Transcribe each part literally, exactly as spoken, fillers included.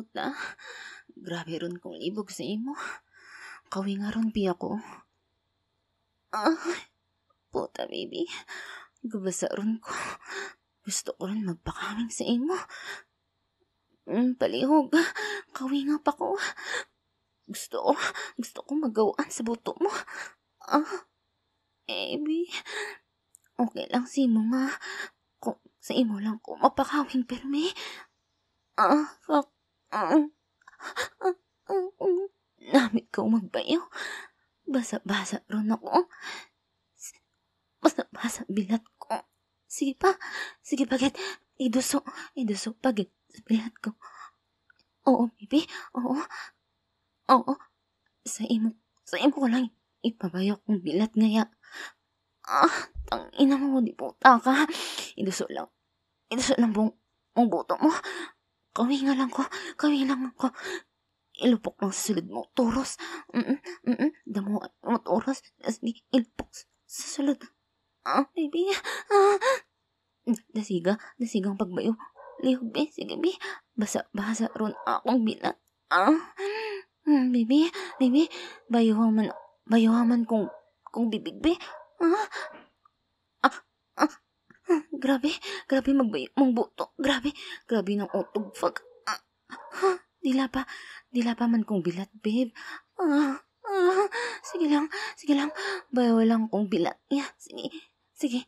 Puta, grabe ron kong libog sa imo. Kawinga ron, bi, ako. Ah, puta, baby. Gabasa ron ko. Gusto ko ron magpakawing sa imo. Mm, palihog. Kawinga pa ko. Gusto ko, gusto ko magaw-an sa buto mo. Ah, baby. Okay lang sa imo nga. Kung sa imo lang ko mapakawing pirmi. Ah, fuck. Ah, ah, ah, ah, namit ko magbayo. Basa-basa ron ako. Basa-basa bilat ko. Sige pa. Sige pa, gid. Iduso. Iduso pa, gid. Sa bilat ko. Oo, baby. Oo. Oo. Sa imo, sa imo ko lang ipabayo kong bilat ngaya. Ah, tang ina mo, di puta ka. Iduso lang. Iduso lang bung, ang buto mo. Kawinga lang ko. Kawinga lang ko. Ilupok lang sa sulod mo. Turos. Mm, mm, damo mo turos. Sige, ilupok sa, sa sulod. Ah, baby. Ah. Dasiga, dasigang pagbayo. Lihog, bi. Sige, bi. Basa, basa ron akong bilat. Ah. Hmm, baby, baby. Bayuha man, bayuha man kung, kung bibig, bi. Ah. Ah. Ah. Ah, grabe, grabe magbayo mong buto. Grabe, grabe ng utog. Fuck. Ah. Ah, dila pa, dila pa man kong bilat, babe. Ah. Ah. Sige lang, sige lang. Bayo lang kong bilat. Yeah, sige. Sige.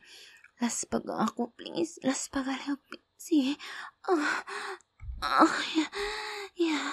Last pag ako, please. Last pag ako, please. Sige. Ah. Ah, yeah. Yeah.